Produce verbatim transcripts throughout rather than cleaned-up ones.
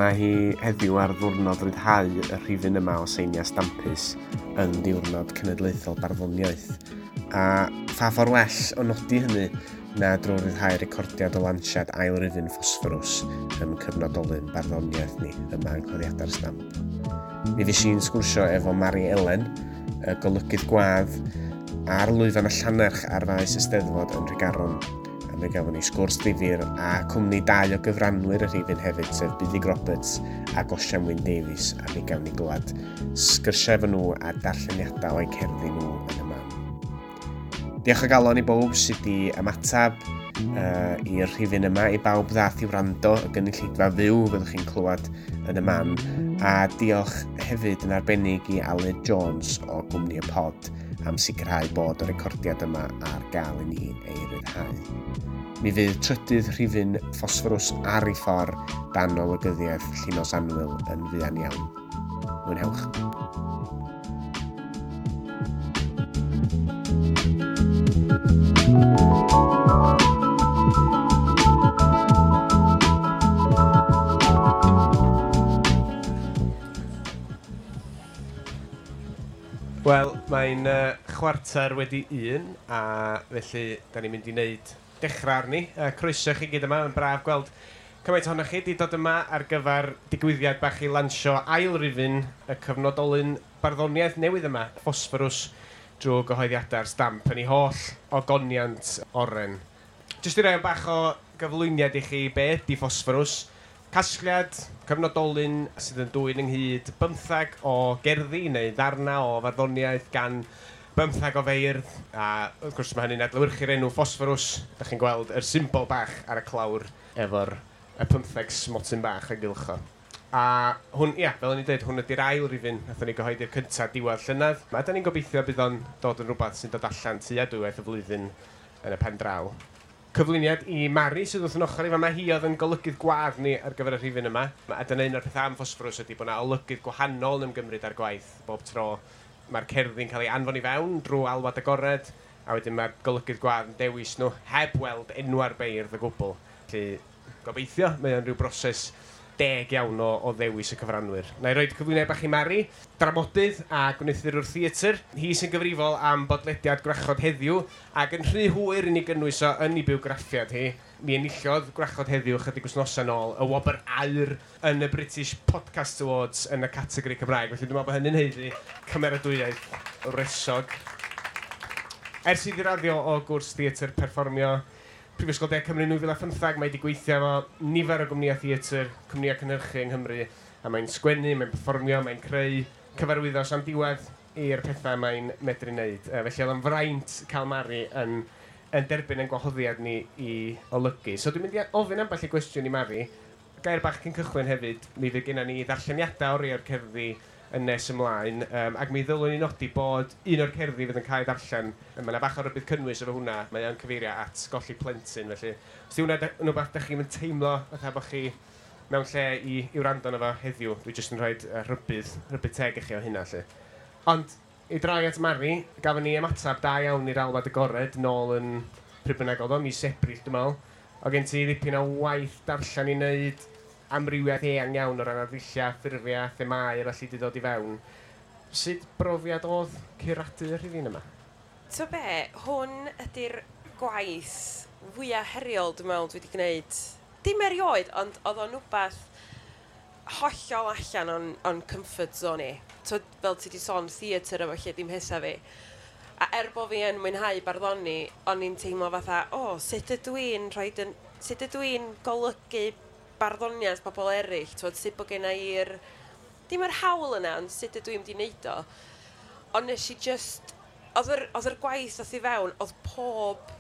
Mae hi heddiw ar ddiwrnod ryddhau y rhifyn yma o Seiniau Stampus yn ddiwrnod cenedlaethol barddoniaeth. A pha ffordd well o nodi hynny na drwy ryddhau recordiad o lansiad ail rifyn Ffosfforws ym cyfnodolyn barddoniaeth ni yma yng Nghoddiadau'r Stamp. Mi fues i'n sgwrsio efo Mari Elen, y golygydd gwadd, ar lwyfan y Llannerch ar faes y Steddfod yn Nhregaron. A mi gafon ni sgwrs ddifyr a cwmni dau o gyfranwyr y rhifyn hefyd, sef Buddug Roberts a Osian Wyn Davies, a mi gawn ni glywed sgyrsiau efo nhw a darlleniadau o'u cerddi nhw yn y man. Diolch o galon i bawb sydd wedi ymateb uh, i'r rhifyn yma, i bawb ddath i wrando, y gynulleidfa fyw fyddwch chi'n clywed yn y man, a diolch hefyd yn arbennig i Aled Jones o Gwmni y Pod am sicrhau bod y recordiad yma ar gael i ni ei ryddhau. Mi fydd trydydd rhifyn Ffosfforws ar ei ffordd dan olygyddiaeth Llinos Anwyl yn fuan iawn. Mwynhewch. Wel, mae'n uh, chwarter wedi un, a felly da ni'n mynd i wneud dechrau arni. Uh, croeso chi gyd yma, mae'n braf gweld cymaint ohonoch chi wedi dod yma ar gyfer digwyddiad bach i lansio ail rifyn y cyfnodolyn barddoniaeth newydd yma, Ffosfforws, drwy gyhoeddiadau'r Stamp yn ei holl ogoniant oren. Jyst i roi bach o gyflwyniad i chi be ydy Ffosfforws. Casgliad cyfnodolyn sydd yn dwyn ynghyd bymthag o gerddi neu ddarna o farddoniaeth gan bymthag o feirdd, a wrth gwrs mae hynny'n adlewyrchu'r enw Ffosfforws. Da chi'n gweld yr symbol bach ar y clawr efo'r y pymtheg smotyn bach yn gylcho. A hwn, ia, fel o'n i'n dweud, hwn ydy'r ail rifyn nathon ni gyhoeddi'r cyntaf diwedd llynedd. A da ni'n gobeithio bydd o'n dod yn rhywbeth sy'n dod allan tua dwywaith y flwyddyn yn y pen draw. Cyflwyniad i Mari sydd wrth yn ochr i fama. Hi oedd yn golygydd gwadd ni ar gyfer y rhifyn yma. A dyna un o'r pethau am Ffosfforws ydy bod yna olygydd gwahanol yn ymgymryd â'r gwaith bob tro. Mae'r cerddi'n cael ei anfon i fewn drwy alwad agored, a wedyn mae'r golygydd gwadd yn dewis nhw heb weld enwa'r beirdd o gwbl. Felly gobeithio, mae o'n rhyw broses deg iawn o, o ddewis y cyfranwyr. Na i roed cyflwyniad bach i Mari, dramodydd a gwneuthurwr theatr. Hi sy'n gyfrifol am bodlediad Gwrachod Heddiw, ac yn rhy hwyr i ni gynnwys o yn ei bywgraffiad hi. Mi enillodd Gwrachod Heddiw chydig wythnosau nôl y wobr aur yn y British Podcast Awards yn y categori Cymraeg. Felly dwi'n meddwl bod hynny'n haeddu cymeradwyaeth wresog. Ers iddi raddio o gwrs theatr perfformio Prifysgol De Cymru nwy fil a phymthag, mae wedi gweithio efo nifer o gwmnïau theatr, cwmnïau cynhyrchu yng Nghymru, a mae'n sgwennu, mae'n perfformio, mae'n creu cyfarwyddo am diwedd i'r pethau mae'n medru wneud. Felly oedd o'n fraint cael Mari yn, yn derbyn ein gwahoddiad ni i olygu. So dwi'n mynd i ofyn ambell i gwestiwn i Mari. Gair bach cyn cychwyn hefyd, mi fydd genna ni ddarlleniadau o rai o'r cerddi yn nes ymlaen, um, ac mi ddylwn ni nodi bod un o'r cerddi fydd yn cael ei darllen, mae yna bach o rybudd cynnwys efo hwnna, mae o'n cyfeirio at golli plentyn, felly os di hwnna yn rhywbeth dach chi'n teimlo fatha bod chi mewn lle i, i wrando arno fo heddiw, dwi jyst yn rhoi uh, rhybudd, rhybudd teg i chi o hynna, lle. Ond i droi at Mari, gafon ni ymateb da iawn i'r alwad agored nôl yn pryd bynnag oedd o, mis Ebrill dwi'n meddwl. O gen ti ddipyn o waith darllen i wneud, amrywiaeth eang iawn o ran arddulliau, ffurfiau, themâu a felly wedi dod i fewn. Sut brofiad oedd curadu y rhifyn yma? To be, hwn ydy'r gwaith fwyaf heriol dwi'n meddwl dwi wedi gwneud. Dim erioed, ond oedd o'n wbath hollol allan o'n, on comfort zone i. To, fel ti wedi sôn, theatr efo lle dim hesa fi. A er bod fi yn mwynhau barddoni, o'n i'n teimlo fatha, o, oh, sut ydw i'n rhoi yn, sut ydw i'n golygu barddoniaeth pobl eraill, twod, sut bod genna i'r, dim yr hawl yna, ond sut ydw i'n mynd i wneud o. Ond nes i just, oedd yr, oedd yr gwaith ddoth i fewn, oedd pob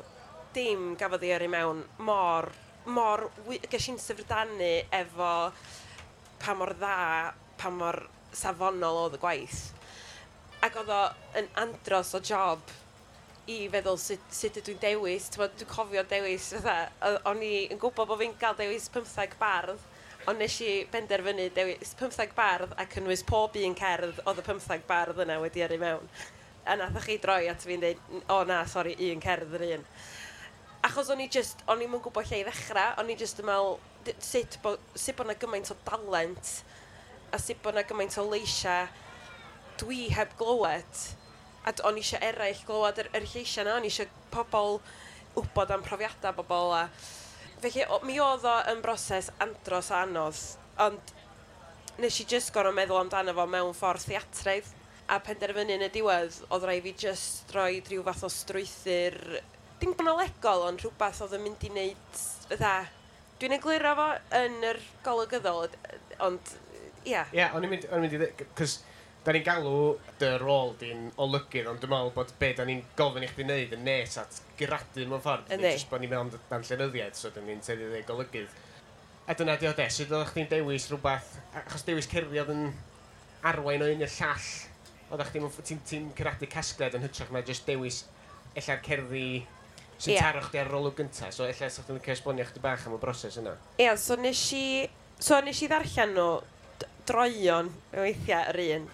dim gafodd ei yrru mewn mor, mor, ges i'n syfrdanu efo pa mor dda, pa mor safonol oedd y gwaith. Ac oedd o yn andros o job i feddwl sut, sut ydw i'n dewis. T'mod, dwi'n cofio dewis, fatha, o'n i yn gwybod bod fi'n cael dewis pymtheg bardd, ond nes i benderfynu dewis pymtheg bardd a cynnwys pob un cerdd oedd y pymtheg bardd yna wedi yrru mewn. A nathoch chi droi at fi'n dweud, o na, sori, un cerdd yr un. Achos o'n i just, o'n i'm yn gwybod lle i ddechrau, o'n i just yn meddwl sut bod, sut bod 'na gymaint o dalent a sut bod 'na gymaint o leisiau dwi heb glywed. A o'n i eisiau eraill glywed yr, yr lleisiau 'na, o'n i eisiau pobl wybod am profiadau bobl. A felly, o, mi oedd o yn broses andros o anodd, ond nes i just gorfod meddwl amdano fo mewn ffordd theatraidd. A penderfynu yn y diwedd, oedd rhaid fi just rhoi rhyw fath o strwythur, dim chronolegol, ond rhywbeth oedd yn mynd i wneud, fatha, dwi'n egluro fo yn yr golygyddol, ond, ia. Ie, yeah, o'n i'n mynd, o'n i'n mynd i ddweud, cos da ni'n galw dy rôl di'n olygydd, ond dwi'n meddwl bod be da ni'n gofyn i chdi wneud yn nes at guradu mewn ffordd. Yndi. Jyst bod ni'n meddwl amdan llenyddiaeth, so da ni'n tueddu i ddeud golygydd. A dyna di o de, sut oeddech chdi'n dewis rhywbeth, achos dewis cerddi oedd yn arwain o un i'r llall, oeddech chdi'n ti'n ti curadu casgliad yn hytrach na jyst dewis ella'r cerddi sy'n Ie. taro chdi ar yr olwg gynta, so ella sa chdi'n licio esbonio chdi bach am y broses yna. Ia, so nes i, so nes i ddarllen nhw d- droeon weithiau yr un.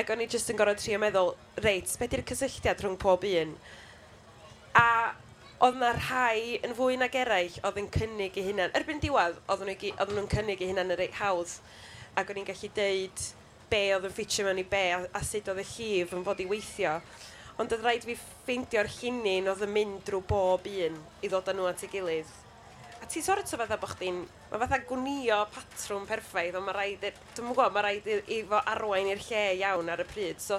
Ac o'n i jyst yn gorfod trio meddwl, reit, be di'r cysylltiad rhwng pob un? A oedd na rhai yn fwy nag eraill oedd yn cynnig eu hunan. Erbyn diwedd, oedden nhw i gy- oedden nhw'n cynnig eu hunan yn reit hawdd. Ac o'n i'n gallu deud be oedd yn ffitio mewn i be a, a sut oedd y llif yn fod i weithio. Ond oedd rhaid fi ffeindio'r llinyn oedd yn mynd drwy bob un i ddod â nhw at ei gilydd. A ti sort of fatha bod chdi'n... Mae fatha gwnio patrwm perffaith, ond mae rhaid... i- Dwi'm yn gwybod, mae rhaid i, i fo arwain i'r lle iawn ar y pryd. So,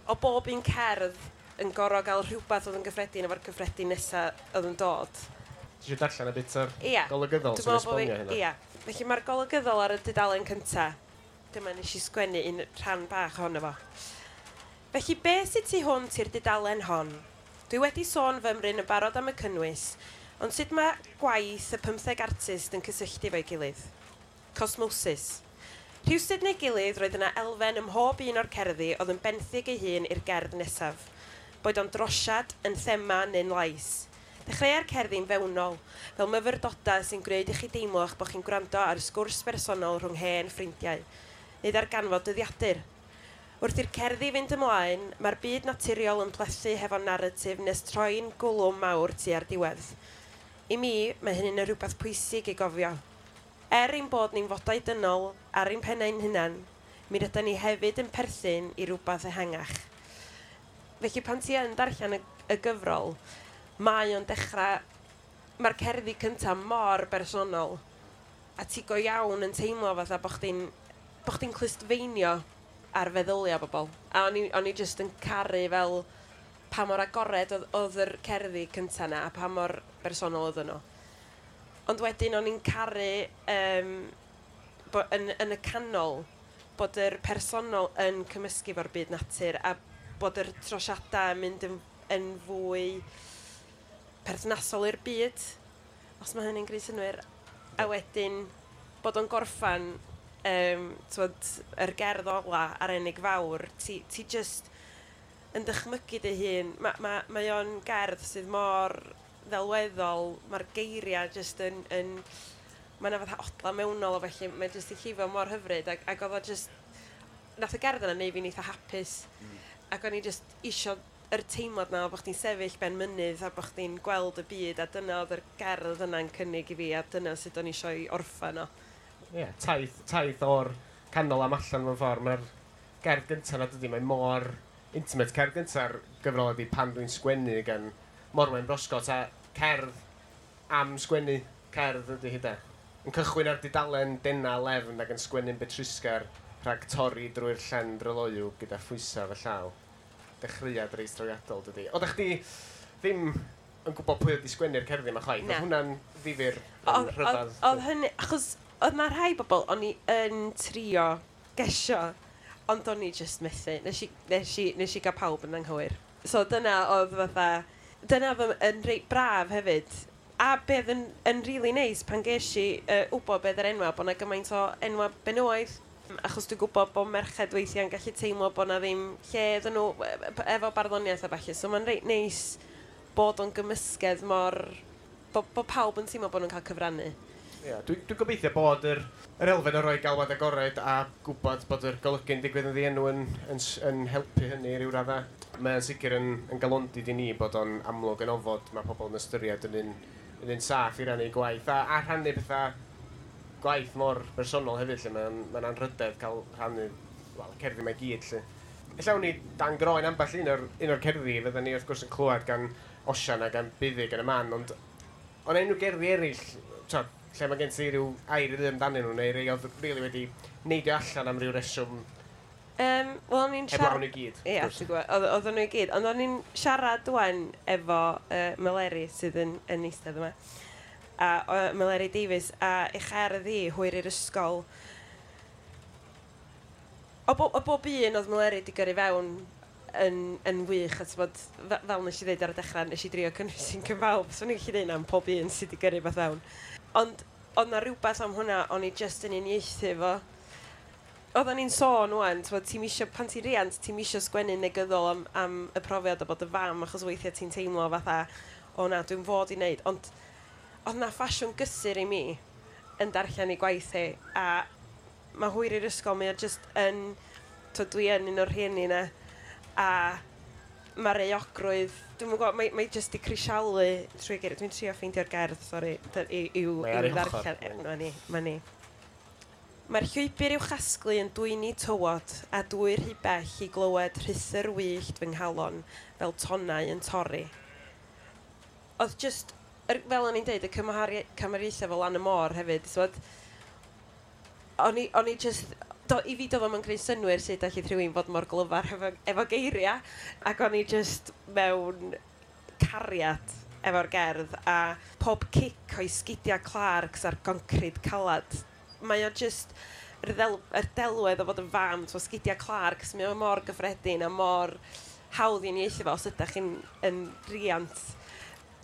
o bob un cerdd yn gorfod gael rhywbeth oedd yn gyffredin efo'r cyffredin nesaf oedd yn dod. Ti eisiau darllen y bit o'r Ia. golygyddol Dwi'n sy'n meddwl bo' fi- esbonio hynna? Ia. Felly mae'r golygyddol ar y dudalen cynta. Dyma nes i sgwennu un rhan bach ohono fo. Felly be sydd tu hwnt i'r dudalen hon? Dwi wedi sôn fymryn yn barod am y cynnwys, ond sut mae gwaith y pymtheg artist yn cysylltu efo'i gilydd? Cosmosis. Rhywsut neu gilydd roedd yna elfen ym mhob un o'r cerddi oedd yn benthyg ei hun i'r gerdd nesaf. Boed o'n drosiad, yn thema neu'n lais. Dechreua'r cerddi'n fewnol, fel myfyrdodau sy'n gwneud i chi deimlo eich bod chi'n gwrando ar sgwrs bersonol rhwng hen ffrindiau, neu ddarganfod dyddiadur. Wrth i'r cerddi fynd ymlaen, mae'r byd naturiol yn plethu hefo naratif nes troi'n gwlwm mawr tua'r diwedd. I mi, mae hynny'n rhywbeth pwysig i gofio. Er ein bod ni'n fodau dynol ar ein pennau'n hunan, mi rydyn ni hefyd yn perthyn i rhywbeth ehangach. Felly pan ti yn darllen y, y gyfrol, mae o'n dechrau... Mae'r cerddi cyntaf mor bersonol, a ti go iawn yn teimlo fatha bo' chdi'n bo' chdi'n clustfeinio ar feddyliau bobl. A o'n i, o'n i jyst yn caru fel pa mor agored oedd, oedd yr cerddi cynta 'na a pa mor bersonol oedden nhw. Ond wedyn o'n i'n caru um, bo, yn, yn y canol bod yr personol yn cymysgu efo'r byd natur a bod yr trosiadau yn mynd yn, yn fwy perthnasol i'r byd, os mae hynny'n gwneud synnwyr. A wedyn bod o'n gorffan um, t'wod, yr gerdd ola Arenig Fawr, ti, ti just yn dychmygu dy hun. Ma, ma, mae o'n gerdd sydd mor ddelweddol, mae'r geiriau just yn... yn mae yna fatha odla mewnol o felly, mae'n just i llifo mor hyfryd ac, ac oedd o just... Nath y gerdd yna neud fi'n eitha hapus. Mm. Ac o'n i just isio yr teimlad na o bod chdi'n sefyll ben mynydd a bod chdi'n gweld y byd, a dyna oedd yr gerdd yna'n cynnig i fi a dyna sut o'n i eisiau i orffan o. Ie, yeah, taith, taith o'r canol am allan mewn ffordd. Mae'r gerdd gyntaf na dydy, mae mor intimate. Cerdd gynta'r gyfrol ydy Pan Dwi'n Sgwennu gan Morwen Brosgot, a cerdd am sgwennu cerdd ydy hi de. Yn cychwyn ar dudalen dena lefn ac yn sgwennu'n betrusgar rhag torri drwy'r llen dryloyw gyda phwysau fy llaw. Dechreuad reit drawiadol dydy. Oeddech chdi ddim yn gwybod pwy oedd 'di sgwennu'r cerddi yma chwaith? Na. Oedd hwnna'n ddifyr yn Oedd- Oedd rhyfedd? oedd hynny, achos oedd na rhai bobl o'n i yn trio gesio, ond o'n i just methu. Nes i, nes i, nes i gael pawb yn anghywir. So dyna oedd fatha, dyna oedd yn reit braf hefyd. A beth yn, yn really neis pan ges i uh, wybod beth yr enwa, bod 'na gymaint o enwa benywaidd. Achos dwi'n gwybod bod merched weithiau'n gallu teimlo bod 'na ddim lle iddyn nhw e- efo barddoniaeth a ballu. So mae'n reit neis bod o'n gymysgedd mor... Bod, bod pawb yn teimlo bod nhw'n cael cyfrannu. Ia, dwi'n dwi gobeithio bod yr, yr elfen o roi galwad agored a gwybod bod yr golygu'n digwydd yn ddienw yn, yn, yn helpu hynny i ryw raddau. Mae'n sicr yn, yn galondid i ni bod o'n amlwg yn ofod mae pobl yn ystyried yn un, yn un saff i rannu gwaith a, a rhannu pethau gwaith mor bersonol hefyd lle mae'n mae anrhydedd cael rhannu wel, cerddi mae gyd lle. Ella awn ni dan groen ambell un o'r, un o'r cerddi fydden ni wrth gwrs yn clywed gan Osian a gan Buddug yn y man, ond ond enw gerddi eraill, t'od, lle mae gen ti ryw air i ddweud amdanyn nhw, neu rei oedd rili wedi neidio allan am ryw reswm. Um, Wel, o'n i'n heblaw nhw i gyd. Ie, ti'n gwybod, oedd oedden nhw i gyd. Ond o'n i'n siarad wan efo uh, Meleri sydd yn, yn eistedd yma. A uh, Meleri Davies, a ei cherdd hi hwyr i'r ysgol. O, bo, o bob un oedd Meleri wedi gyrru fewn yn, yn wych, a t'bod, fel nes i ddweud ar y dechrau, nes i drio cynnwys un cyfawb, so o'n i'n gallu dweud am pob un sydd wedi gyrru beth fewn. Ond oedd na rhywbeth am hwnna, o'n i just yn uniaethu fo. Oedden ni'n sôn wan, t'bod, ti'n isio, pan ti'n riant, ti'n isio sgwennu negyddol am, am y profiad o bod y fam, achos weithiau ti'n teimlo fatha, o na, dwi'n fod i wneud. Ond oedd na ffasiwn gysur i mi yn darllen ei gwaith hi, a mae hwyr i'r ysgol, mae o just yn, t'wod, dwi yn un o'r rhieni na, a mae'r euogrwydd, dwi'n gwybod, mae, mae just di crisialu trwy geiriau. Dwi'n trio ffeindio'r gerdd, sori, i, i'w, Mae ar i'w ei hochr. ddarllen. Mae ni, mae ni. Mae'r llwybr i'w chasglu yn dwyni tywod a dwy rhy bell i glywed rhuthr wyllt fy nghalon fel tonnau yn torri. Oedd just, er, fel o'n i'n deud, y cymharu- cymariaethau fel lan y môr hefyd, t'wod, o'n i, o'n i just, do, i fi doedd o'm yn creu synnwyr sut allith rhywun fod mor glyfar efo, efo geiriau, ac o'n i just mewn cariad efo'r gerdd, a pob cic o'i sgidiau Clarks a'r concrid calad. Mae o just, yr, ddel, yr delwedd o fod yn fam, t'mo, sgidiau Clarks, mae o mor gyffredin a mor hawdd i uniaethu fo os ydych chi'n yn riant.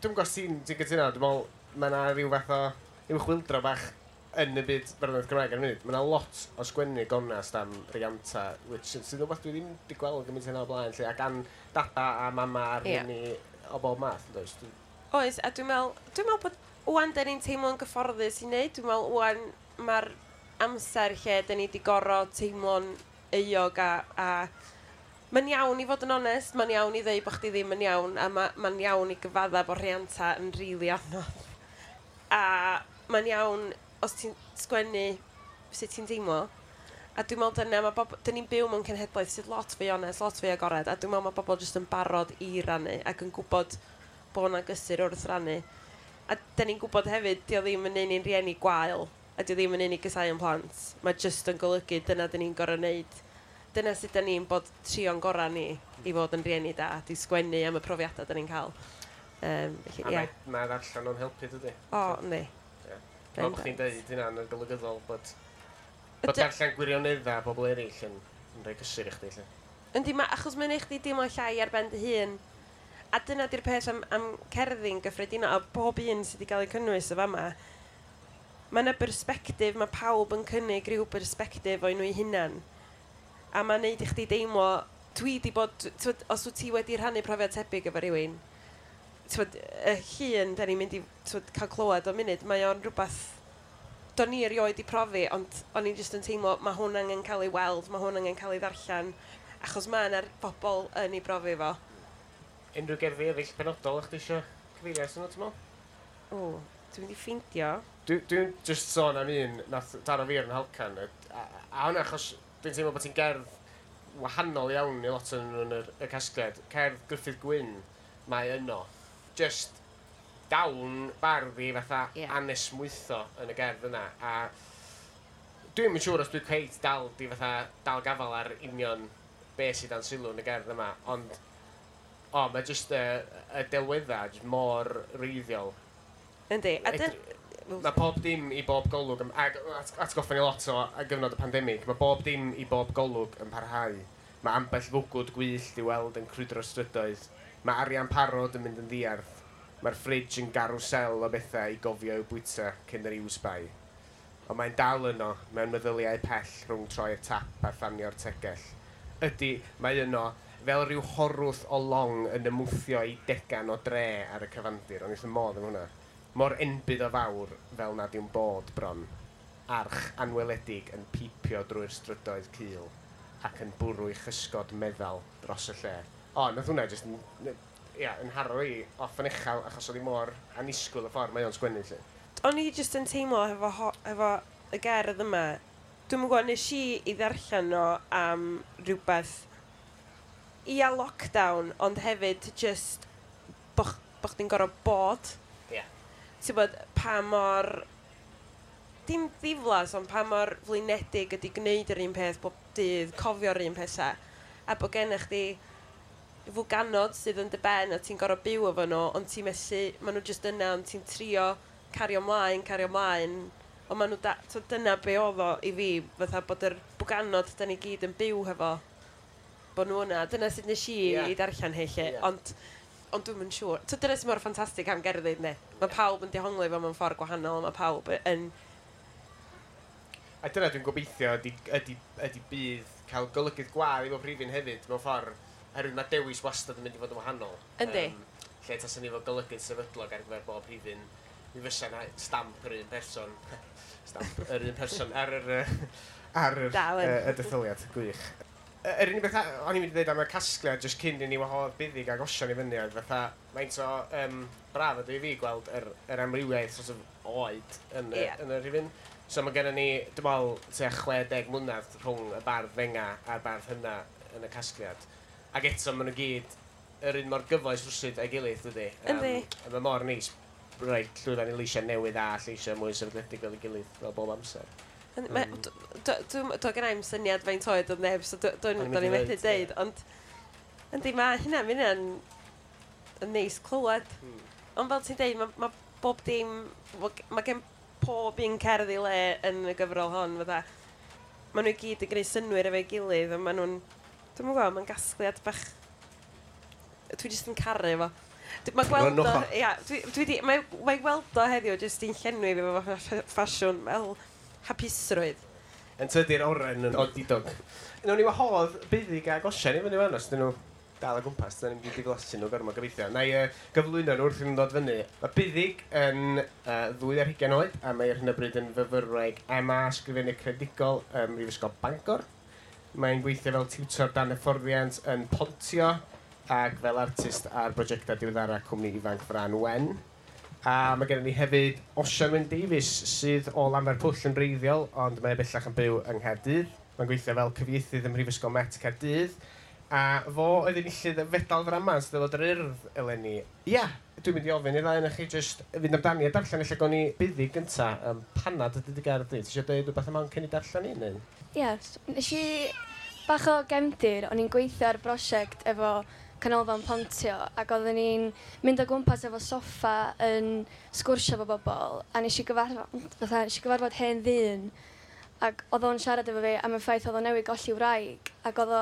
Dwi'n gwybod os ti'n ti gytuno, dwi'n meddwl mae yna rhyw fath o rhyw chwildro bach yn y byd barddoniaeth Gymraeg ar y funud. Mae yna lot o sgwennu gonest am rianta, which sydd yn rhywbeth dwi ddim wedi gweld gymaint hynna o blaen, lle, a gan dada a mama a Ie. rhieni o bob math, yn does? Dwi- Oes, a dwi'n meddwl, dwi'n meddwl bod wan da ni'n teimlo'n gyfforddus i wneud. Dwi'n meddwl wan mae'r amser lle da ni wedi gorfod teimlo'n euog a, a mae'n iawn i fod yn onest, mae'n iawn i ddeud bod chdi ddim yn iawn, a ma, mae'n iawn i gyfadda bod rhianta yn rili anodd. A mae'n iawn os ti'n sgwennu sut ti'n teimlo. A dwi'n meddwl dyna, mae bob, dyn ni'n byw mewn cenhedlaeth sydd lot fwy onest, lot fwy agored, a dwi'n meddwl mae bobl jyst yn barod i rannu ac yn gwybod bod yna gysur wrth rannu. A dyn ni'n gwybod hefyd, di o ddim yn neud ni'n rieni gwael, a di o ddim yn neud ni gysau yn plant. Mae jyst yn golygu dyna dyn ni'n gorfod neud. Dyna sut dyn ni'n bod trio'n gorau ni i fod yn rieni da, di sgwennu am y profiadau dyn ni'n cael. Um, felly, A ie. mae, mae ddarllen o'n helpu, dydy? O, yndi. Ie. Fel bod chdi'n deud hynna yn y golygyddol, bod, bod Yd- darllen gwirioneddau bobl eraill yn, yn rhoi cysur i chdi, lle. Yndi, ma, achos mae'n neud chdi deimlo llai ar ben dy hun. A dyna di'r peth am, am cerddi'n gyffredinol, a bob un sydd wedi cael ei cynnwys o fama, mae yna bersbectif, mae pawb yn cynnig rhyw bersbectif o'i nhw eu hunan. A mae'n neud i chdi deimlo, dwi di bod, t'wod, os wyt ti wedi rhannu profiad tebyg efo rhywun, t'wod, y llun da ni'n mynd i t'wod, cael clywed o munud, mae o'n rhywbeth do'n i erioed i profi, ond o'n i'n just yn teimlo, mae hwn angen cael ei weld, mae hwn angen cael ei ddarllen, achos mae yna'r bobl yn ei brofi fo. Unrhyw gerddi eraill penodol o'ch ti eisiau cyfeirio atyn nhw, ti'n meddwl? O, dwi'n mynd i ffeindio. Dwi'n dwi just sôn am un nath daro fi ar yn halcan. A, a hwnna achos dwi'n teimlo bod ti'n gerdd wahanol iawn i lot o'n nhw yn yr, y casgliad. Cerdd Gruffydd Gwyn mae yno. Just dawn bardd i fatha Ie. yeah. anesmwytho yn y gerdd yna. A dwi'n yn siŵr os dwi'n cweit dal di fatha dal gafal ar union be sydd dan sylw yn y gerdd yma, ond o, mae just y, y delweddau just mor wreiddiol. Yndi. A dyn... Mae pob dim i bob golwg, yn- ag at- atgoffa ni lot o a gyfnod y pandemig, mae bob dim i bob golwg yn parhau. Mae ambell fwgwd gwyllt i weld yn crwydro strydoedd. Mae arian parod yn mynd yn ddiarth. Mae'r fridge yn garwsel o bethau i gofio i'w bwyta cyn yr iwsbai. Ond mae'n dal yno mewn meddyliau pell rhwng troi'r tap a thanio'r tegell. Ydy, mae yno fel rhyw horwth o long yn ymwthio i degan o dre ar y cyfandir. O'n i wrth fy modd yn hwnna. Mor enbyd o fawr fel nad yw'n bod bron. Arch anweledig yn pipio drwy'r strydoedd cul ac yn bwrw ei chysgod meddal dros y lle. O, nath hwnna jyst yn, ia, yn haro i off yn uchel achos oedd hi mor annisgwyl y ffordd mae o'n sgwennu, lle. O'n i jyst yn teimlo hefo, ho- hefo y gerdd yma, dwi'm yn gwybod, nes i i ddarllen o am rhywbeth ia lockdown, ond hefyd just bo, ch- bo chdi'n gorfod bod. Ie. Ti'n bod, pa mor, dim ddiflas, ond pa mor flinedig ydy gwneud yr un peth bob dydd, cofio'r un pethau. A bod gennych chdi fwganod sydd yn dy ben a ti'n gorfod byw efo nhw, ond ti'n methu, maen nhw jyst yna, ond ti'n trio cario mlaen, cario mlaen, ond maen nhw, da, so dyna be oedd o i fi, fatha bod yr bwganod da ni gyd yn byw hefo, bod nhw yna. Dyna sut nes i Ie. i darllen hi, lle, Ie. ond, ond dwi'm yn siŵr. So dyna sy'n mor ffantastig am gerddi, ne? Mae pawb yn dehongli fo mewn ffordd gwahanol, mae pawb yn... A dyna dwi'n gobeithio ydy, ydy, ydy bydd cael golygydd gwadd i bob rhifyn hefyd mewn ffordd, oherwydd mae dewis wastad yn mynd i fod yn wahanol. Yndi. Um, lle tasen ni fod golygydd sefydlog ar gyfer bob rhifyn, mi fysa na stamp yr un person, stamp yr un person ar yr, yy, ar yr, Dal yn. yy, y detholiad, gwych. Y- Yr unig beth a- o'n i'n mynd i ddweud am y casgliad jyst cyn i ni wahodd Buddig ag Osian i fyny oedd fatha faint o um, braf ydw i fi gweld yr, yr amrywiaeth sort of oed yn y, Ie. yn y rhifyn. So mae gennym ni, dwi'n meddwl, tua chwe deg mlynedd rhwng y bardd fenga a'r bardd hynna yn y casgliad. Ac eto maen nhw gyd yr un mor gyfoes rwsyd a'i gilydd, dydy. Yndi. A mae mor neis rhoi llwyfan i leisiau newydd a lleisiau mwy sefydledig fel ei gilydd, fel bob amser. Yn- ma- Mm. d- d- Dwi'm, do gen i'm syniad faint oed oedd neb, so dw- O'n i'n dwi'n mynd i i'n methu ddeud, deud, ond yndi, mae hynna, mae hynna'n yn neis clywed. Hmm. Ond fel ti'n deud, mae ma bob dim, mae gen pob un cerdd i le yn y gyfrol hon, fatha, maen nhw i gyd yn gwneud synnwyr efo'i gilydd, a maen nhw'n, dwi'm yn gwybod, mae'n gasgliad bach, dwi jyst yn caru fo. Dwi- Mae gweld o, Prynwch o. ia, dwi, dwi di, mae, mae gweld o heddiw jyst i'n llenwi fi efo ffa- ffasiwn fel hapusrwydd. Yn tydi'r oren yn odidog. Nawn ni wahodd Buddig ag Osian i fyny fan os dyn nhw dal o gwmpas, dyn ni'n mynd i diflasu nhw gormod gobeithio. Na i uh, gyflwyno nhw wrth iddyn nhw ddod fyny. Mae Buddig yn uh, ddwy ar hugain oed a mae ar hyn o bryd yn fyfyrwraig M A Sgrifennu Creadigol ym Mhrifysgol Bangor. Mae'n gweithio fel tiwtor dan hyfforddiant yn Pontio ac fel artist ar brosiectau diweddara cwmni ifanc Fran Wen. A mae gennym ni hefyd Osian Wyn Davies sydd o Lanfairpwll yn wreiddiol, ond mae e bellach yn byw yng Nghaerdydd. Mae'n gweithio fel cyfieithydd ym Mhrifysgol Met Caerdydd. A fo oedd enillydd y fedal ddrama yn Steddfod yr Urdd eleni. Ia, dwi'n mynd i ofyn i'r ddau ohonoch chi jyst fynd amdani a darllen ella gawn ni Buddig gynta. Um, panad ydy dy gerdd di? Ti eisiau dweud rhywbeth am hwn cyn i darllen i, neu? Ie, yes, nes i bach o gefndir, o'n i'n gweithio ar brosiect efo Canolfan Pontio ac oedden ni'n mynd o gwmpas efo soffa yn sgwrsio efo bobl a nes i gyfarfod, fatha, nes i gyfarfod hen ddyn ac oedd o'n siarad efo fi am y ffaith oedd o'n newydd golli wraig ac oedd o,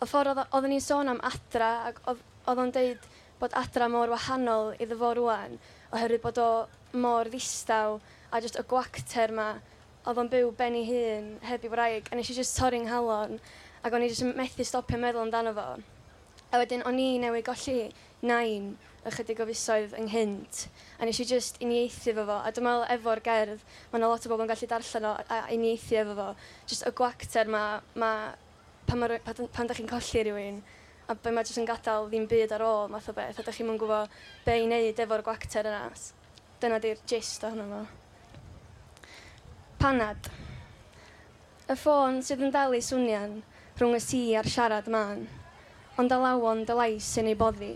y ffordd oedd o- oedden ni'n sôn am adra ac oedd oedd o'n deud bod adra mor wahanol iddo fo rwan oherwydd bod o mor ddistaw a jyst y gwacter ma oedd o'n byw ben ei hun heb ei wraig a nes i jyst torri'n nghalon ac o'n i jyst yn methu stopio meddwl amdano fo. A wedyn o'n i newydd golli nain ychydig o fisoedd ynghynt a nes i jyst uniaethu efo fo a dwi'n meddwl efo'r gerdd mae yna lot o bobl yn gallu darllen o a uniaethu efo fo. Jyst y gwacter ma, ma pan, ma, rwy- pan, pan dach chi'n colli rhywun a be mae jyst yn gadael ddim byd ar ôl math o beth a dach chi'm yn gwybod be i wneud efo'r gwacter yna. Dyna di'r gist ohono fo. Panad. Y ffôn sydd yn dal i swnian rhwng y si a'r siarad mân, ond alawon dy lais sy'n ei boddi,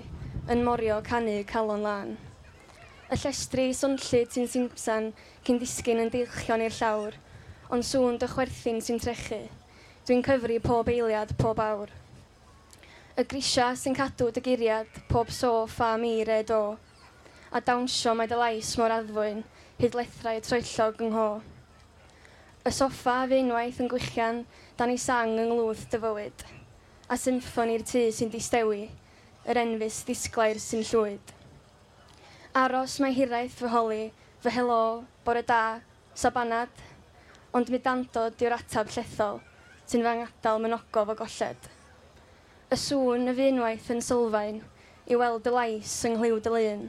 yn morio canu calon lân. Y llestri swnllyd sy'n simsan cyn disgyn yn deilchion i'r llawr, ond sŵn dy chwerthin sy'n trechu. Dwi'n cyfri pob eiliad, pob awr. Y grisia sy'n cadw dy guriad, pob so, ffa, mi, re, do. A dawnsio mae dy lais mor addfwyn, hyd lethrau troellog yng ngho. Y soffa fu unwaith yn gwichian, dan ei sang yng nglwth dy fywyd. A symffoni'r tŷ sy'n distewi, yr enfys ddisglair sy'n llwyd. Aros mae hiraeth fy holi, fy helo, bore da, sabanad, ond mudandod yw'r atab llethol, sy'n fy ngadael mynogof o golled. Y sŵn y fu unwaith yn sylfaen, i weld dy lais yng nghlyw dy lun,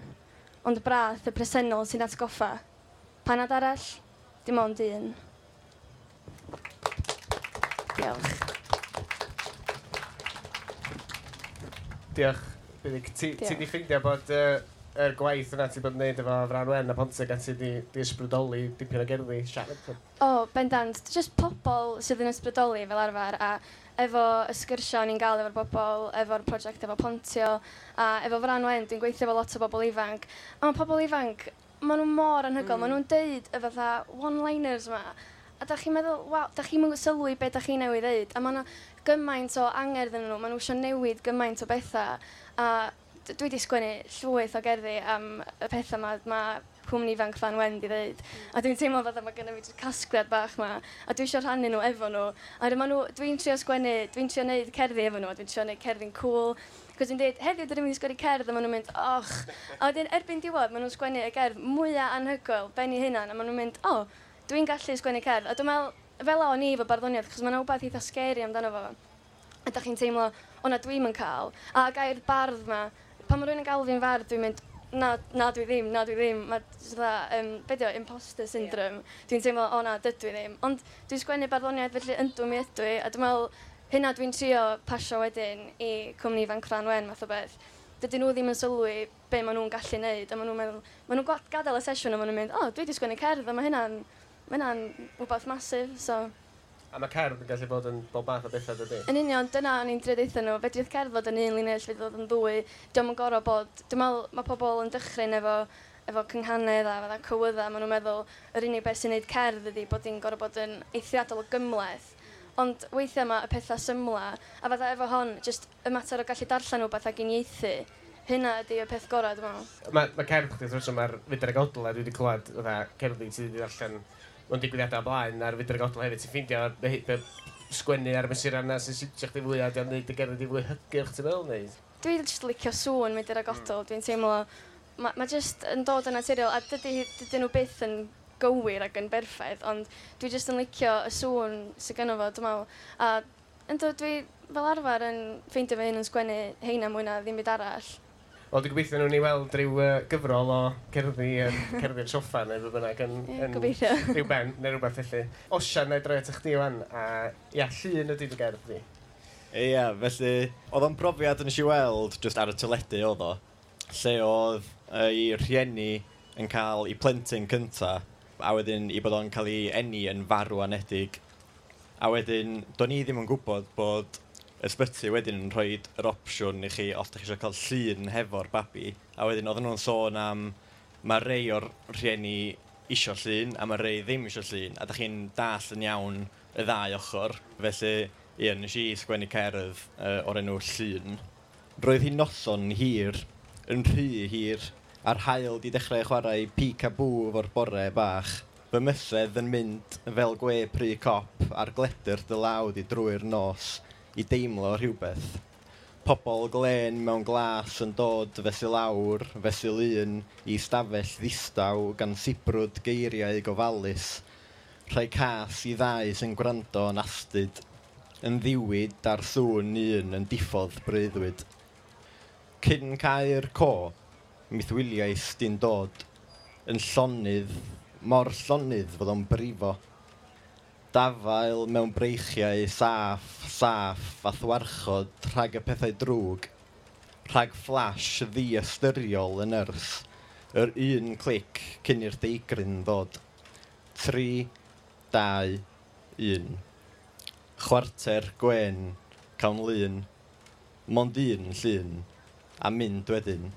Ond brath y presennol sy'n atgoffa. Panad arall, dim ond un. Diolch. Diolch. Ti, ti di ffeindio bod uh, yr gwaith yna ti bod yn neud efo Fran Wen a Pontio gan ti di, di ysbrydoli dipyn o gerddi siarad? O, oh, bendant. Just pobl sydd yn ysbrydoli fel arfer a efo y sgyrsiau o'n i'n gael efo'r bobl, efo'r prosiect efo Pontio a efo Fran Wen, dwi'n gweithio efo lot o bobl ifanc. A mae pobl ifanc, maen nhw mor anhygoel, mm. maen nhw'n deud y fatha one-liners yma. A da chi'n meddwl, waw, da chi'n sylwi be da chi'n newydd ddeud. A mae yna gymaint o angerdd yn nhw, maen nhw eisiau newid gymaint o bethau. A dwi wedi sgwennu llwyth o gerddi am y pethau ma, ma cwmni ifanc Fran Wen di ddeud. A dwi'n teimlo fatha mae gennym fi casgliad bach ma, a dwi eisiau rhannu nhw efo nhw. A ma nhw, dwi'n trio sgwennu, dwi'n trio neud cerddi efo nhw, a dwi'n trio neud cerddi'n cool. Cos dwi'n dweud, heddiw dyn ni'n mynd i sgwennu cerdd, a maen nhw'n mynd, och. A wedyn erbyn diwedd, maen nhw'n sgwennu y gerdd mwyaf anhygoel, ben i hunan, a maen nhw'n mynd, o, oh, dwi'n gallu sgwennu cerdd. A dwi'n meddwl, fel o'n i efo barddoniaeth, chos mae'n wbath eitha scary amdano fo. A da chi'n teimlo, o na, dwi'm yn cael. A gair bardd ma, pan mae rhywun yn galw fi'n fardd, dwi'n mynd, na, na dwi ddim, na dwi ddim. Mae fatha, um, be di o, imposter syndrome. Yeah. Dwi'n teimlo, o na, dydw i ddim. Ond dwi'n sgwennu barddoniaeth, felly yndw mi ydw i. A dwi'n meddwl, hynna dwi'n trio pasio wedyn i cwmni ifanc Fran Wen, math o beth. Dydyn nhw ddim yn sylwi be maen nhw'n gallu neud. A maen nhw'n meddwl, maen nhw'n gadael y sesiwn a maen nhw'n mynd, o, oh, dwi wedi sgwennu cerdd, a mae hynna'n, mae hynna'n rhywbeth masif, so... A mae cerdd yn gallu bod yn bob math o bethau, dydy? Yn union, dyna o'n i'n drio deutha nhw. Fedrith cerdd fod yn un linell, fedrith fod yn ddwy. Dio'm yn gorfod bod... Dwi'n meddwl mae pobl yn dychryn efo, efo cynghanedd a fatha cywydda. Maen nhw'n meddwl yr unig beth sy'n neud cerdd ydy bod hi'n gorfod bod yn eithriadol o gymhleth. Ond weithiau mae y pethau symla, a fatha efo hon, jyst y mater o gallu darllen rhywbeth ac uniaethu, hynna ydy y peth gorau, dwi'n meddwl. Mae, mae cerdd chdi, wrth gwrs, mae'r Fydr ag Odl, a dwi wedi clywed fatha cerddi ti wedi darllen mewn digwyddiadau o blaen a'r Fydr ag Odl hefyd, ti'n ffeindio sgwennu ar y mesurau yna sy'n siwtio chdi fwy a di'n neud y gerddi di fwy hygyrch, ti'n meddwl, neu? Dwi'n jyst licio sŵn Mydr ag Odl, mm. Dwi'n teimlo, mae ma jyst yn dod yn naturiol, a dydy, dydyn nhw byth yn gywir ac yn berffaith, ond dwi jyst yn licio y sŵn sydd gynno fo, dwi'n meddwl. A ynddo, dwi fel arfer yn ffeindio fy hun yn sgwennu heina mwy na ddim byd arall. Wel, dwi'n gobeithio nhw'n i weld rhyw uh, gyfrol o cerddi, um, cerddi'r soffa neu beth bynnag yn, yeah, yn gobeithio. Rhyw ben neu rhywbeth felly. Osian, na i droi at chdi wan, a ia, llun ydy dy gerdd di. Ia, felly, oedd o'n brofiad nes i weld just ar y teledu oedd o, lle oedd ei rhieni yn cael ei plentyn cynta, a wedyn i bod o'n cael ei eni yn farw anedig. A wedyn, do'n i ddim yn gwybod bod ysbyty wedyn yn rhoi yr opsiwn i chi os ydych chi eisiau cael llun hefo'r babi. A wedyn oedden nhw'n sôn am mae rei o'r rhieni isio llun a mae rei ddim isio llun. A ydych chi'n dall yn iawn y ddau ochr. Felly, ie, nes i sgwennu cerdd uh, o'r enw Llun. Roedd hi noson hir, yn rhy hir, a'r haul di dechrau chwarae peek-a-boo efo'r bore bach. Fy mysedd yn mynd fel gwe pry cop a'r gledr dy law di drwy'r nos i deimlo rhywbeth. Pobl glên mewn glas yn dod fesul awr, fesul un, i stafell ddistaw gan sibrwd geiriau gofalus, rhai cas i ddau sy'n gwrando yn astud, yn ddiwyd ar sŵn un yn diffodd breuddwyd. Cyn cael co, mithwyliais di'n dod, yn llonydd, mor llonydd fod o'n brifo. Dafael mewn breichiau saff, saff a thwarchod rhag y pethau drwg, rhag flash ddiystyriol y nyrs, yr un clic cyn i'r deigryn ddod. Tri, dau, un. Chwarter gwen, cawn lun, mond un llun, a mynd wedyn.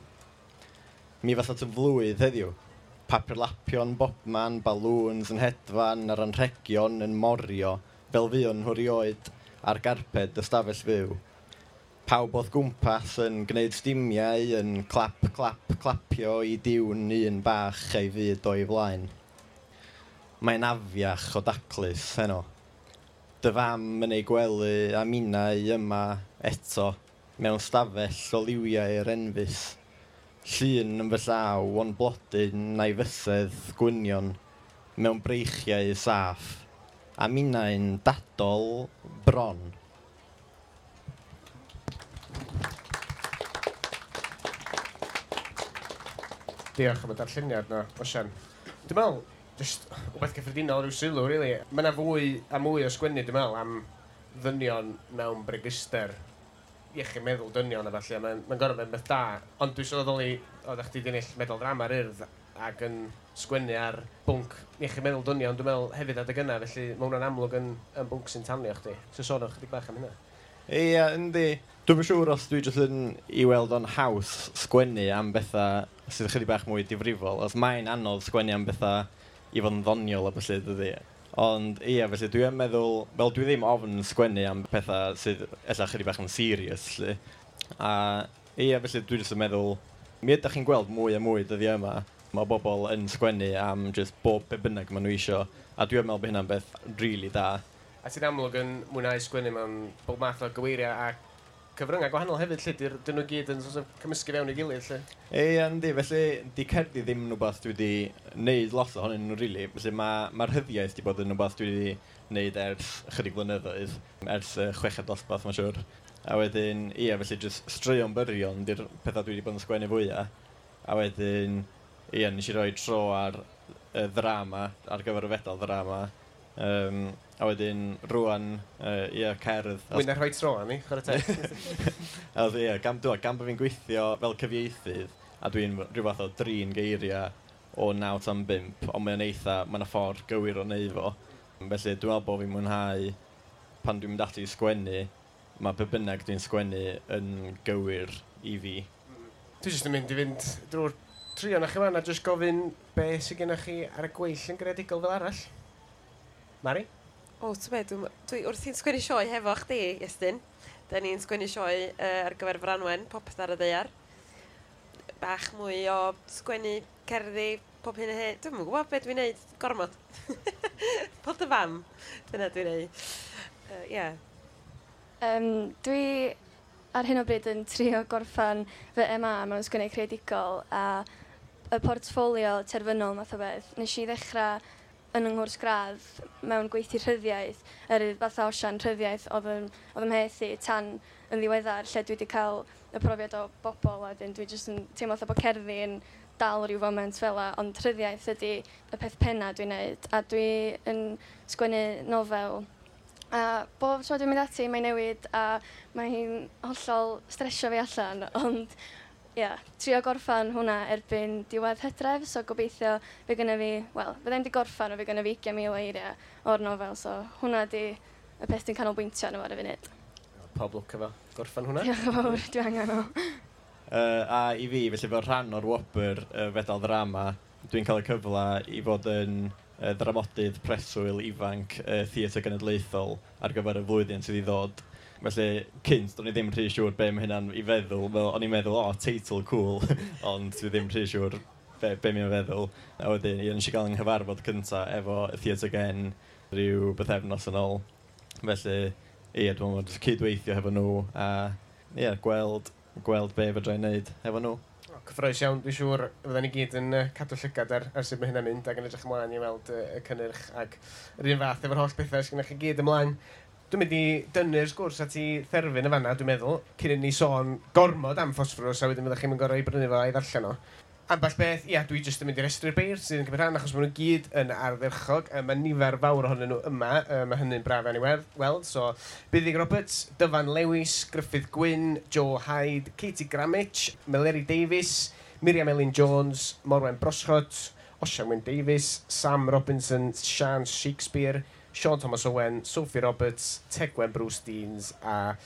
Mi fatha yn flwydd heddiw. Papur lapion, bobman, balŵns yn hedfan a'r anrhegion yn morio fel fuon nhw rioed ar garped ystafell fyw. Pawb oedd gwmpas yn gwneud stimiau yn clap, clap, clapio i diwn un bach a'i fyd o'i flaen. Mae'n afiach o daclus heno. Dy fam yn ei gwely a minnau yma eto mewn stafell o liwiau'r enfys. Llun yn fy llaw o'n blodyn a'i fysedd gwynion mewn breichiau saff, a minnau'n dadol bron. Diolch am y darlleniad na, Osian. Dwi'n meddwl, just wbeth cyffredinol rhyw sylw, really. Mae yna fwy a mwy o sgwennu, dwi'n meddwl, am ddynion mewn breguster, iechyd meddwl dynion a falle, mae'n ma gorfod bod yn beth da. Ond dwi'n sylweddoli, oeddech chdi 'di ennill medal drama'r Urdd ac yn sgwennu ar bwnc iechyd meddwl dynion, dwi'n meddwl hefyd adeg yna, felly mae hwnna'n amlwg yn, yn bwnc sy'n tanio chdi. So sôn o'n chydig bach am hynna. Ie, yndi. Dwi'n siŵr os dwi jyst yn i weld o'n haws sgwennu am bethau sydd ychydig bach mwy difrifol. Os mae'n anodd sgwennu am bethau i fod yn ddoniol a felly, dydy. Ond ie, felly dwi yn meddwl, fel dwi ddim ofn sgwennu am pethau sydd ella chydig bach yn serious, lle. A ie, felly dwi jyst yn meddwl, mi ydych chi'n gweld mwy a mwy dyddiau yma, mae bobl yn sgwennu am just bob be bynnag maen nhw isio, a dwi'n meddwl bod hynna'n beth really da. A ti'n amlwg yn mwynhau sgwennu mewn bob math o gyweiriau a cyfryngau gwahanol hefyd, lle dyn nhw gyd yn sort of cymysgu fewn i gilydd, lle. Ie, yndi, felly di cerddi ddim yn rhywbeth dwi wedi wneud lot ohonyn nhw, really. Felly mae'r ma rhyddiaeth wedi bod yn rhywbeth dwi wedi wneud ers chydig blynyddoedd, ers uh, chweched dosbarth, mae'n siŵr. A wedyn, ie, felly just straeon byrion di'r pethau dwi wedi bod yn sgwennu fwyaf. A wedyn, ie, nes i roi tro ar y ddrama, ar gyfer y fedal ddrama. Um, a wedyn, rwan, uh, ie, cerdd. Mwy na rhoi tro arni, chwarae teg. A ie, gan, dwi, gan bod fi'n gweithio fel cyfieithydd, a dwi'n rhyw fath o drin geiriau o naw tan bump, ond mae'n eitha, mae'n ffordd gywir o neud fo. Felly dwi'n meddwl bod fi'n mwynhau pan dwi'n mynd ati i sgwennu, mae be bynnag dwi'n sgwennu yn gywir i fi. Dwi jyst yn mynd i fynd drwy'r tri o'na chi fan a jyst gofyn be sydd gennych chi ar y gweill yn greadigol fel arall. Mari? O, ti'n be, dwi, dwi wrthi'n sgwennu sioe hefo chdi, Iestyn. Da ni'n sgwennu sioe uh, ar gyfer Franwen, Popeth ar y Ddaear. Bach mwy o sgwennu cerddi, pob hyn a hyn. Dwi'm yn gwybod beth dwi'n neud, gormod. Bod y fam, dyna dwi'n neud. Uh, yeah. Um, dwi ar hyn o bryd yn trio gorffan fy M A mewn sgwennu creadigol a y portffolio terfynol math o beth. Nes i ddechrau yn yng nghwrs gradd mewn gweithio rhyddiaeth, yr fatha Osian rhyddiaeth oedd yn, oedd ym mheth i tan yn ddiweddar, lle dwi wedi cael y profiad o bobl a wedyn dwi jyst yn teimlo fatha bod cerddi yn dal rhyw foment fel 'a, ond rhyddiaeth ydy y peth penna dwi'n neud, a dwi yn sgwennu nofel. A bob tro dwi'n mynd ati, mae'n newid a mae hi'n hollol stresio fi allan, ond ie, yeah, trio gorffan hwnna erbyn diwedd Hydref, so gobeithio fe gynna fi, wel, fydda i'm 'di gorffan, ond fe gynna fi ugain mil o eiriau o'r nofel, so hwnna di y peth dwi'n canolbwyntio arno fo ar y funud. Pob lwc efo gorffan hwnna. Diolch yn fawr, dwi angen o. Uh, a i fi, felly fel rhan o'r wobr uh, fedal ddrama, dwi'n cael y cyfle i fod yn uh, ddramodydd preswyl ifanc uh, Theatr Genedlaethol ar gyfer y flwyddyn sydd i ddod. Felly, cynt, do'n i ddim rhy siŵr be mae hynna'n i feddwl. Fel, o'n i'n meddwl, o, oh, teitl cool, ond dwi ddim rhy siŵr be, be mae'n feddwl. A wedyn, ie, nes i gael yng nghyfarfod cynta efo Theatr Gen rhyw bythefnos yn ôl. Felly, ie, dwi'n meddwl jyst cydweithio hefo nhw a ie, gweld, gweld be fedra i wneud hefo nhw. O, cyffrous iawn, dwi'n siŵr fydden ni gyd yn uh, cadw llygad ar, ar sut mae hynna'n mynd ac yn edrych ymlaen i weld uh, y cynnyrch ac yr un fath efo'r holl bethau sydd gennych chi gyd ymlaen. Dwi'n mynd i dynnu'r sgwrs at i therfyn y fanna, dwi'n meddwl, cyn i ni sôn gormod am Ffosfforws, a wedyn fyddech chi'n gorfod i brynu fo a'i ddarllen o. Ambell beth, ia, dwi jyst yn mynd i restru'r beirdd sydd yn cymryd rhan, achos maen nhw gyd yn ardderchog. Mae nifer fawr ohonyn nhw yma, mae hynny'n braf iawn i weld. So, Buddug Roberts, Dyfan Lewis, Gruffydd Gwyn, Joe Hyde, Katie Gramich, Meleri Davies, Miriam Elin Jones, Morwen Broscott, Osian Wyn Davies, Sam Robinson, Sian Shakespeare, Sean Thomas Owen, Sophie Roberts, Tegwen Bruce Deans a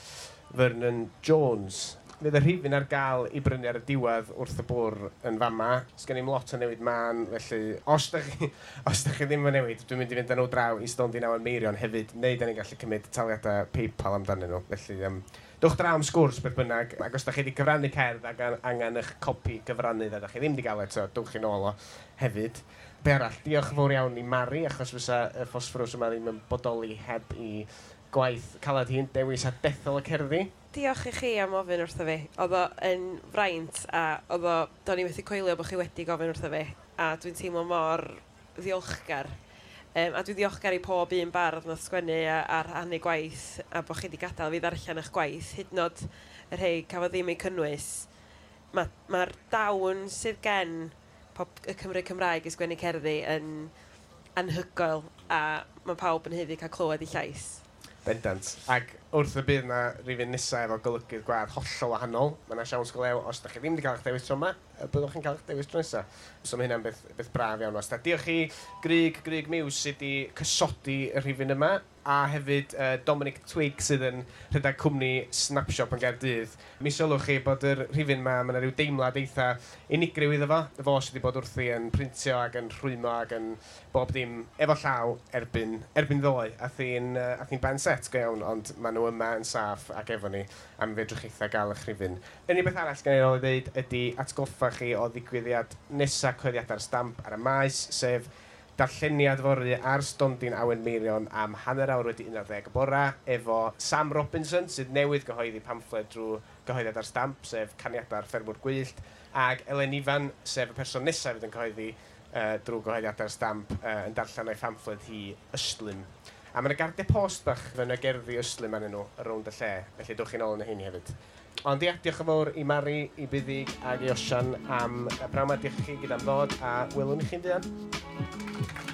Vernon Jones. Fydd y rhifyn ar gael i brynu ar y diwedd wrth y bwr yn fama. Sgen i'm lot o newid man, felly os da chi, os da chi ddim yn newid, dwi'n mynd i fynd â nhw draw i stondin Awen Meirion hefyd, neu da ni'n gallu cymryd taliadau PayPal amdanyn nhw. Felly, um, dewch draw am sgwrs beth bynnag, ac os da chi wedi cyfrannu cerdd ac angen eich copi cyfrannu a da chi ddim wedi gael eto, dewch chi nôl o hefyd. Be arall, diolch yn fawr iawn i Mari, achos fysa y Ffosfforws yma ddim yn bodoli heb i gwaith calad hi'n dewis a dethol y cerddi. Diolch i chi am ofyn wrtho fi. Oedd o yn fraint a oedd o, do'n i methu coelio bod chi wedi gofyn wrtho fi. A dwi'n teimlo mor ddiolchgar. Um, a dwi'n ddiolchgar i pob un bardd nath sgwennu a, a rhannu gwaith a bod chi wedi gadael fi ddarllen eich gwaith, hyd yn oed y rhai cafodd ddim eu cynnwys. Mae'r ma dawn sydd gen pob, y Cymry Cymraeg i sgwennu cerddi yn anhygoel a mae pawb yn haeddu cael clywed ei llais. Bendant. Ac wrth y bydd na rhifyn nesaf efo golygydd gwadd hollol wahanol, mae yna siawns go lew, os da chi ddim wedi cael eich dewis tro yma, y byddwch chi'n cael eich dewis tro nesaf. So mae hynna'n beth, beth braf iawn wastad. Diolch i Grug, Grug Muse sydd wedi cysodi y rhifyn yma, a hefyd uh, Dominic Twig sydd yn rhedeg cwmni Snapshop yn Gaerdydd. Mi sylwch chi bod yr rhifyn yma, mae yna rhyw deimlad eitha unigryw iddo fo. Fo sydd wedi bod wrthi yn printio ac yn rhwymo ac yn bob dim efo llaw erbyn, erbyn ddoe. Ath hi'n uh, ath hi'n ben set go iawn, ond maen nhw yma yn saff ac efo ni am fedrwch chi'tha gael eich rhifyn. Unig beth arall gen i ôl i ddeud ydy atgoffa chi o ddigwyddiad nesa Cyhoeddiadau'r Stamp ar y maes, sef darlleniad fory ar stondin Awen Meirion am hanner awr wedi un ar ddeg y bora efo Sam Robinson sydd newydd gyhoeddi pamffled drwy gyhoeddiad ar Stamp, sef Caniadau'r Ffermwr Gwyllt, ac Elen Ifan, sef y person nesaf fydd yn cyhoeddi uh, drwy gyhoeddiad ar Stamp uh, yn darllen o'i phamffled hi Ystlum. A mae yna gardiau post bach yn y gerddi ystlum arnyn nhw rownd y lle, felly dewch chi'n ôl yn y heini hefyd. Ond ia, diolch yn fawr i Mari, i Buddig ac i Osian am y pnawn 'ma. Diolch i chi gyd am ddod a welwn i chi'n fuan.